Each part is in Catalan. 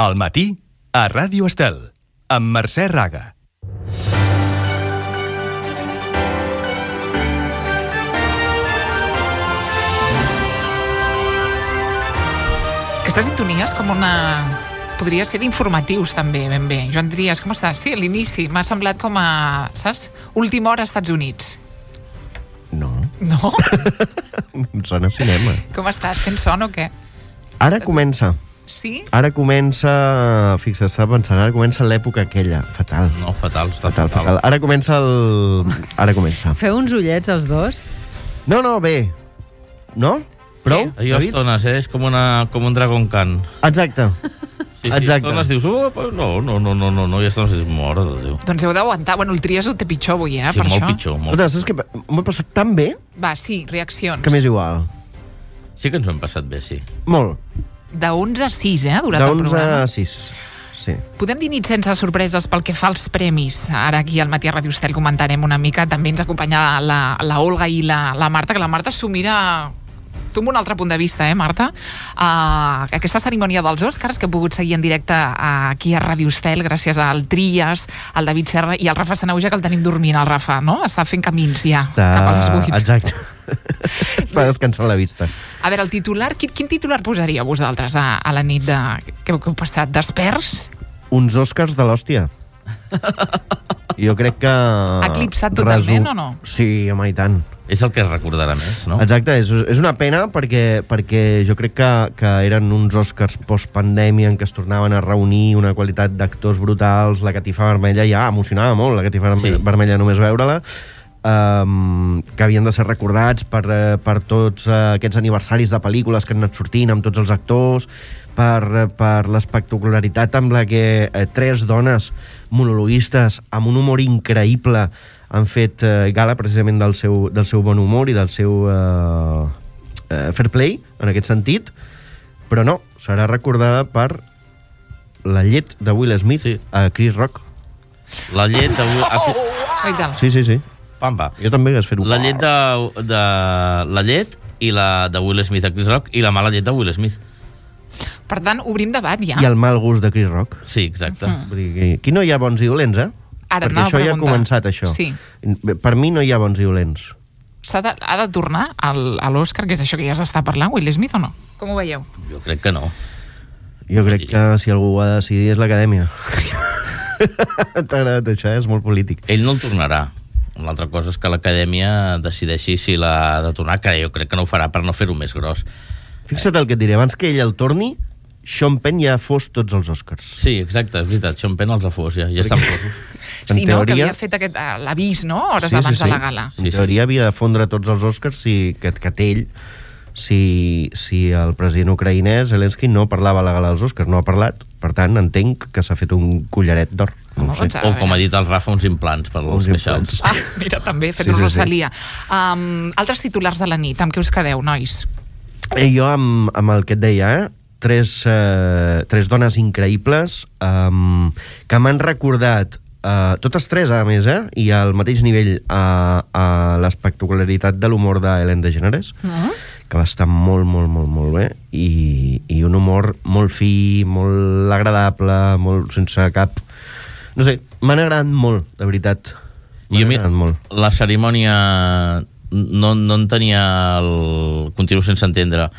Al matí, a Ràdio Estel, amb Mercè Raga. Aquesta sintonia és com una... Podria ser d'informatius, també, ben bé. Joan Trias, com estàs? Sí, a l'inici m'ha semblat com a... Saps? Última hora als Estats Units. No. No? Em sona a cinema. Com estàs? Tens son o què? Ara comença. Sí? Ara comença... Fixa't, estava pensant, ara comença l'època aquella. Fatal. No, fatal, està Fatal. Ara comença el... Ara comença. Feu uns ullets, els dos? No, bé. No? Prou? Allò estones, és com un Dragon Khan. Exacte. Sí, Exacte. estones dius, no, i estones dius, mora de Déu. Doncs heu d'aguantar. Bueno, el Trias ho té pitjor avui, Sí, per molt això. pitjor, molt. Escolta, saps què? M'ho he passat tan bé Va, sí, reaccions. que m'és igual. Sí que ens ho hem passat bé, sí. Molt. De 11 a 6, ha durat De el 11 programa. a 6. Sí. Podem dir nit sense sorpreses pel que fa als premis. Ara aquí al Matí a Ràdio Estel comentarem una mica. També ens acompanya la Olga i la Marta, que la Marta s'ho mira... Tu amb un altre punt de vista, Marta? Aquesta cerimònia dels Oscars que he pogut seguir en directe aquí a Ràdio Estel gràcies al Trias, al David Serra i al Rafa Sanauja, que el tenim dormint, el Rafa, no? Està fent camins ja, cap a les 8. Exacte. Està descansant la vista. A veure, el titular, quin titular posaria vosaltres a la nit que heu passat? Desperts? Uns Oscars de l'hòstia. Jo crec que... Eclipsat totalment o no? Sí, home, i tant. És el que es recordarà més, no? Exacte, és una pena perquè jo crec que eren uns Oscars post-pandèmia en què es tornaven a reunir una qualitat d'actors brutals, la catifa vermella ja emocionava molt, la catifa vermella només veure-la, que havien de ser recordats per tots aquests aniversaris de pel·lícules que han anat sortint amb tots els actors, per l'espectacularitat amb la que 3 dones monologuistes amb un humor increïble han fet gala precisament del seu bon humor i del seu fair play, en aquest sentit, però no, serà recordada per la llet de Will Smith a Chris Rock. La llet de... Sí. Pampa. Jo també hagués fet-ho. La llet la llet i la de Will Smith a Chris Rock i la mala llet de Will Smith. Per tant, obrim debat ja. I el mal gust de Chris Rock. Sí, exacte. Vull dir, aquí no hi ha bons i dolents, Ara perquè això ja ha començat, això. Sí. Per mi no hi ha bons i dolents. Ha de tornar a l'Oscar, que és això que ja s'està parlant, Will Smith, o no? Com ho veieu? Jo crec que no. Jo crec que si algú ho ha de decidir és l'acadèmia. T'ha agradat això, és molt polític. Ell no el tornarà. L'altra cosa és que l'acadèmia decideixi si l'ha de tornar, que jo crec que no ho farà per no fer-ho més gros. Fixa't el que et diré, abans que ell el torni, Sean Penn ja fos tots els Oscars. Sí, exacte, és veritat, Sean Penn els ha fos, ja estan fosos. Sí, no, que havia fet l'avís, no?, hores abans de la gala. En teoria havia de fondre tots els Oscars que té ell, si el president ucraïnès, Zelensky, no parlava a la gala dels Oscars, no ha parlat, per tant, entenc que s'ha fet un collaret d'or. No sé. O, com ha dit el Rafa, uns implants per als queixals. Mira, també, fet una Rosalia. Altres titulars de la nit, amb què us quedeu, nois? Jo amb el que et deia, tres dones increïbles que m'han recordat totes 3, a més, i al mateix nivell a l'espectacularitat de l'humor d'Ellen DeGeneres, que va estar molt, molt, molt, molt bé, i un humor molt fi, molt agradable, molt sense cap... No sé, m'han agradat molt, de veritat. M'han agradat molt. La cerimònia no en tenia el... Continuo sense entendre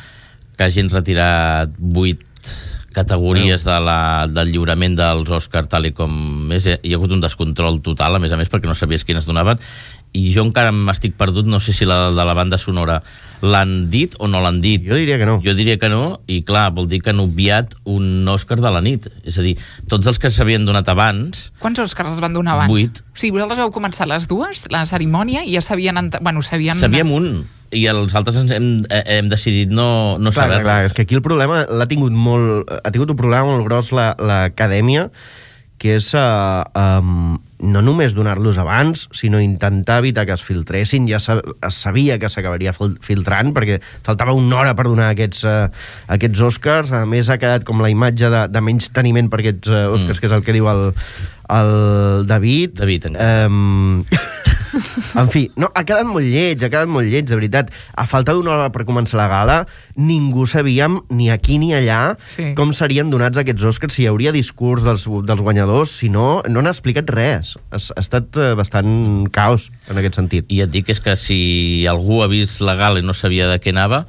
que hagin retirat 8 categories del lliurament dels Oscars tal i com és. Hi ha hagut un descontrol total, a més, perquè no sabies quines donaven, i jo encara m'estic perdut, no sé si la de la banda sonora l'han dit o no l'han dit. Jo diria que no. Jo diria que no, i clar, vol dir que han obviat un Òscar de la nit. És a dir, tots els que s'havien donat abans... Quants Òscars es van donar abans? 8. O sigui, vosaltres heu començat les 2, la cerimònia, i ja sabien... Sabíem un, i els altres hem decidit no saber-los. Clar, és que aquí el problema ha tingut un problema molt gros l'acadèmia, que és no només donar-los abans, sinó intentar evitar que es filtressin. Ja es sabia que s'acabaria filtrant, perquè faltava una hora per donar aquests Oscars. A més, ha quedat com la imatge de menys teniment per aquests Oscars, que és el que diu el David. David, encara. En fi, no, ha quedat molt lleig, de veritat. A falta d'una hora per començar la gala, ningú sabíem, ni aquí ni allà, com serien donats aquests Oscars, si hi hauria discurs dels guanyadors, si no, no n'ha explicat res. Ha estat bastant caos, en aquest sentit. I et dic és que si algú ha vist la gala i no sabia de què anava,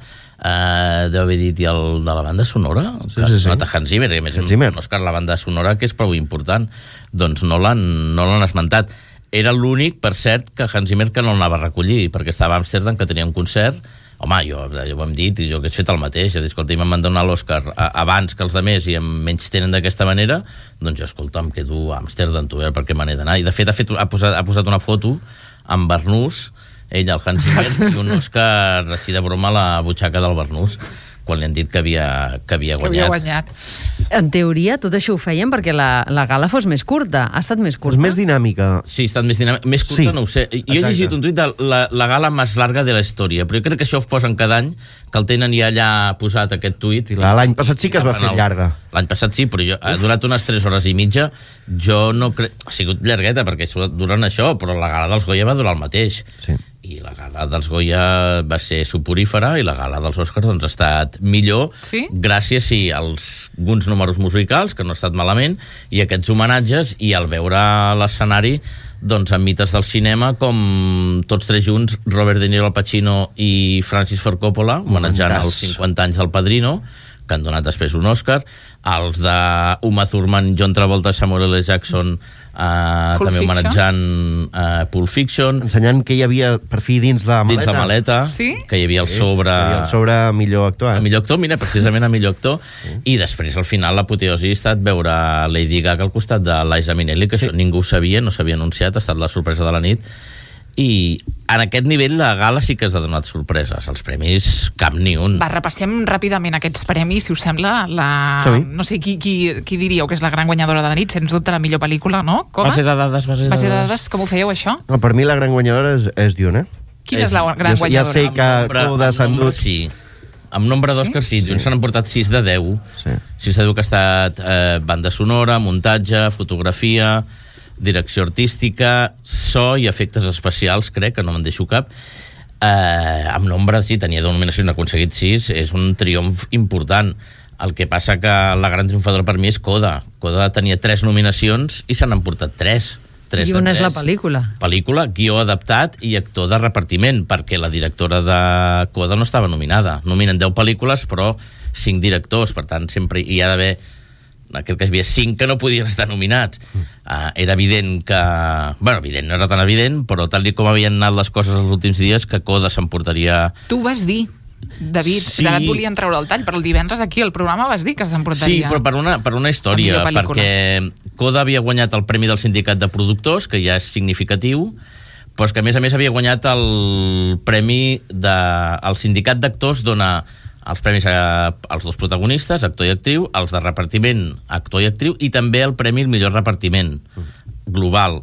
deu haver dit, i el de la banda sonora? Sí. Hans Zimmer, a més, un Òscar la banda sonora, que és prou important, doncs no l'han esmentat. Era l'únic, per cert, que Hans Zimmer que no l'anava a recollir, perquè estava a Amsterdam, que tenia un concert. Home, jo ho hem dit, i jo que he fet el mateix. Escolta, m'han donat l'Òscar abans que els altres i em menys tenen d'aquesta manera, doncs jo, escolta, em quedo a Amsterdam, tu, per què me n'he d'anar. I de fet ha posat una foto amb Barnús, ell, el Hans Zimmer, i un Òscar així de broma a la butxaca del Barnús, quan li han dit que havia guanyat. En teoria, tot això ho feien perquè la gala fos més curta. Ha estat més curta? Més dinàmica. Sí, ha estat més dinàmica. Més curta, no ho sé. Jo he llegit un tuit de la gala més larga de la història, però jo crec que això ho posen cada any, que el tenen ja allà posat, aquest tuit. L'any passat sí que es va fer llarga. L'any passat sí, però ha durat unes 3 hores i mitja. Jo no crec... Ha sigut llargueta, perquè duren això, però la gala dels Goya va durar el mateix. Sí. I la gala dels Goya va ser suporífera i la gala dels Oscars doncs, ha estat millor, gràcies a alguns números musicals, que no ha estat malament, i aquests homenatges, i al veure l'escenari doncs, amb mites del cinema, com tots tres junts, Robert De Niro, Al Pacino i Francis Ford Coppola, homenatjant els 50 anys del Padrino, que han donat després un Òscar, els de Uma Thurman, John Travolta, Samuel L. Jackson, també homenatjant Pulp Fiction, ensenyant que hi havia per fi dins la maleta, que hi havia el sobre millor actor, mira, precisament a millor actor, i després al final l'apoteosi ha estat veure Lady Gaga al costat de Liza Minnelli, que això ningú ho sabia, no s'havia anunciat, ha estat la sorpresa de la nit. I en aquest nivell la gala sí que ens ha donat sorpreses. Els premis, cap ni un. Va, repassem ràpidament aquests premis, si us sembla. No sé qui diríeu que és la gran guanyadora de la nit, sens dubte la millor pel·lícula, no? Base de dades. Com ho fèieu, això? No, per mi la gran guanyadora és Dune. Quina és la gran guanyadora? Ja sé que Coda s'han dut... Sí. Amb nombre d'Òscars, sí. Se n'han portat 6 de 10. 6 de 10 que ha estat banda sonora, muntatge, fotografia, direcció artística, so i efectes especials, crec, que no me'n deixo cap. Amb nombre, sí, tenia 10 nominacions, n'ha aconseguit 6, és un triomf important. El que passa que la gran triomfadora per mi és Coda. Coda tenia 3 nominacions i se n'han portat 3. I una és la pel·lícula. Pel·lícula, guió adaptat i actor de repartiment, perquè la directora de Coda no estava nominada. Nominen 10 pel·lícules, però 5 directors, per tant, sempre hi ha d'haver... Crec que hi havia 5 que no podien estar nominats. Era evident que... Bueno, evident, no era tan evident, però tal com havien anat les coses els últims dies, que Coda s'emportaria... Tu vas dir, David, ara et volien treure el tall, però el divendres aquí al programa vas dir que s'emportaria... Sí, però per una història, perquè Coda havia guanyat el Premi del Sindicat de Productors, que ja és significatiu, però és que a més havia guanyat el premi el Sindicat d'Actors dona els premis als 2 protagonistes, actor i actriu, els de repartiment, actor i actriu, i també el premi al millor repartiment global,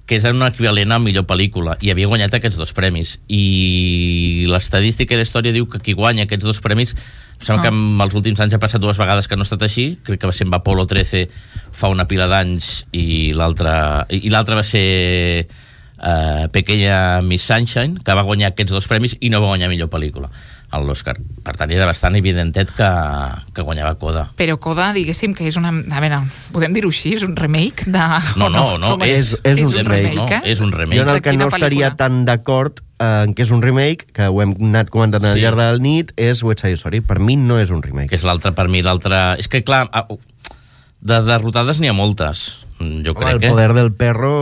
que és un equivalent a millor pel·lícula, i havia guanyat aquests 2 premis. I l'estadística i la història diu que qui guanya aquests 2 premis, em sembla que en els últims anys ha passat 2 vegades que no ha estat així, crec que va ser amb Apollo 13 fa una pila d'anys, i l'altra va ser Pequeña Miss Sunshine, que va guanyar aquests 2 premis i no va guanyar millor pel·lícula a l'Òscar. Per tant, era bastant evidentet que guanyava Coda. Però Coda, diguéssim que és una... A veure, podem dir-ho així? És un remake de... No, és un remake. No, és un remake. Jo en el que no estaria tan d'acord en què és un remake, que ho hem anat comentant al llarg de la nit, és West Side Story. Per mi no és un remake. Que és l'altre, per mi, l'altre... És que, clar, de derrotades n'hi ha moltes. Jo crec que... El poder del perro...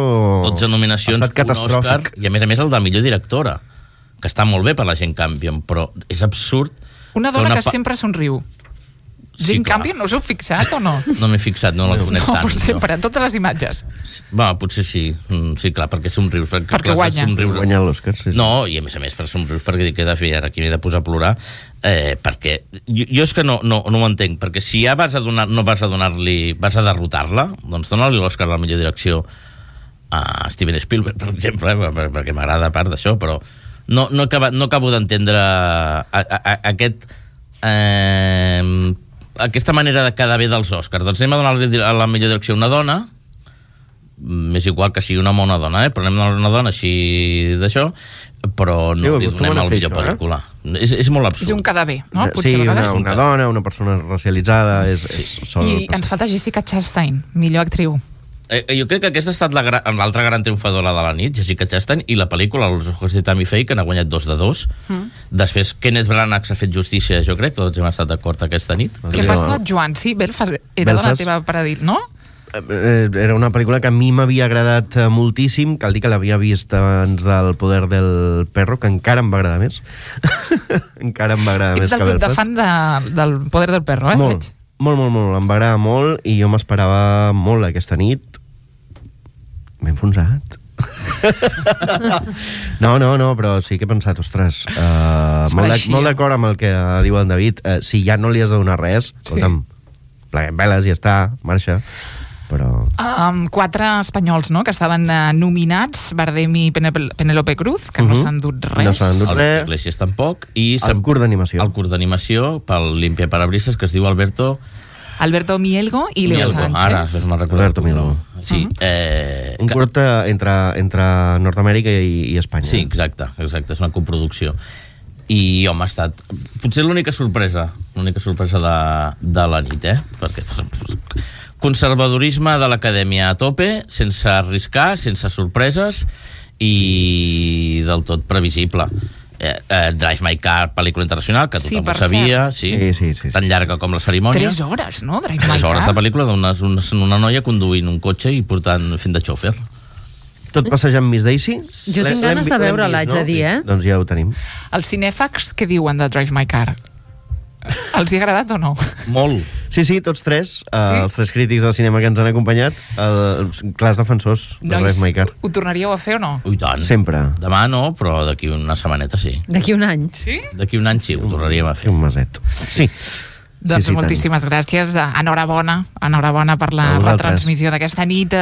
12 nominacions, un Òscar, i a més el de millor directora, que està molt bé per la Jane Campion, però és absurd... Una dona que sempre somriu. Jane Campion, no us heu fixat o no? No m'he fixat, no la conec tant. No, sempre, en totes les imatges. Potser sí. Sí, clar, perquè somrius. Perquè guanya. Guanya l'Òscar, sí. No, i a més per somrius, perquè dic que he de fer ara aquí, m'he de posar a plorar, perquè jo és que no ho entenc, perquè si ja vas a derrotar-la, doncs dona-li l'Òscar a la millor direcció a Steven Spielberg, per exemple, perquè m'agrada a part d'això, però no acabo d'entendre aquesta manera de quedar bé dels Oscars. Doncs anem a donar a la millor direcció a una dona, m'és igual que sigui un home o una dona, però anem a una dona així d'això, però no li donem el millor pel·lícula. És molt absurd. És un quedar bé, no? Sí, una dona, una persona racialitzada... I ens falta Jessica Chastain, millor actriu. Jo crec que aquesta ha estat l'altra gran triomfadora de la nit, Jessica Chastain, i la pel·lícula Los ojos de Tammy Faye, que n'ha guanyat 2 de 2. Després, Kenneth Branagh s'ha fet justícia, jo crec, tots hem estat d'acord aquesta nit. Què passa, Joan? Sí, Belfast era de la teva paradil, no? Era una pel·lícula que a mi m'havia agradat moltíssim, cal dir que l'havia vist abans del Poder del Perro, que encara em va agradar més. Encara em va agradar més que Belfast. Ets del club de fan del Poder del Perro, eh? Molt, em va agradar molt i jo m'esperava molt aquesta nit. M'he enfonsat. No, però sí que he pensat, ostres, molt d'acord amb el que diu en David. Si ja no li has de donar res, escolta'm, pleguem veles i ja està, marxa. Però... 4 espanyols, no?, que estaven nominats, Bardem i Penélope Cruz, que no s'han dut res. No s'han dut res. Iglesias tampoc. I el curt d'animació. El curt d'animació pel Limpia Parabrises, que es diu Alberto Mielgo i Leo Sánchez. Ara, me'n recordo. Alberto Mielgo. Sí. Un curt entre Nord-Amèrica i Espanya. Sí, exacte, és una coproducció. I, home, ha estat potser l'única sorpresa de la nit, perquè conservadorisme de l'acadèmia a tope, sense arriscar, sense sorpreses i del tot previsible. Drive My Car, pel·lícula internacional, que tothom ho sabia, sí, tan llarga com la cerimònia. 3 hores, no? Drive My Car. 3 hores de pel·lícula d'una noia conduint un cotxe i fent de xòfer. Tot passejant Miss Daisy? Jo tinc ganes de veure-la, haig de dir, Doncs ja ho tenim. Els cinèfags què diuen de Drive My Car? Els hi ha agradat o no? Molt. Sí, tots 3, els 3 crítics del cinema que ens han acompanyat, clars defensors de Drive My Car. Ho tornaríeu a fer o no? Ui, tant. Sempre. Demà no, però d'aquí una setmaneta sí. D'aquí un any. Sí? D'aquí un any sí, ho tornaríem a fer. Un meset. Sí. Doncs moltíssimes gràcies. Enhorabona per la retransmissió d'aquesta nit.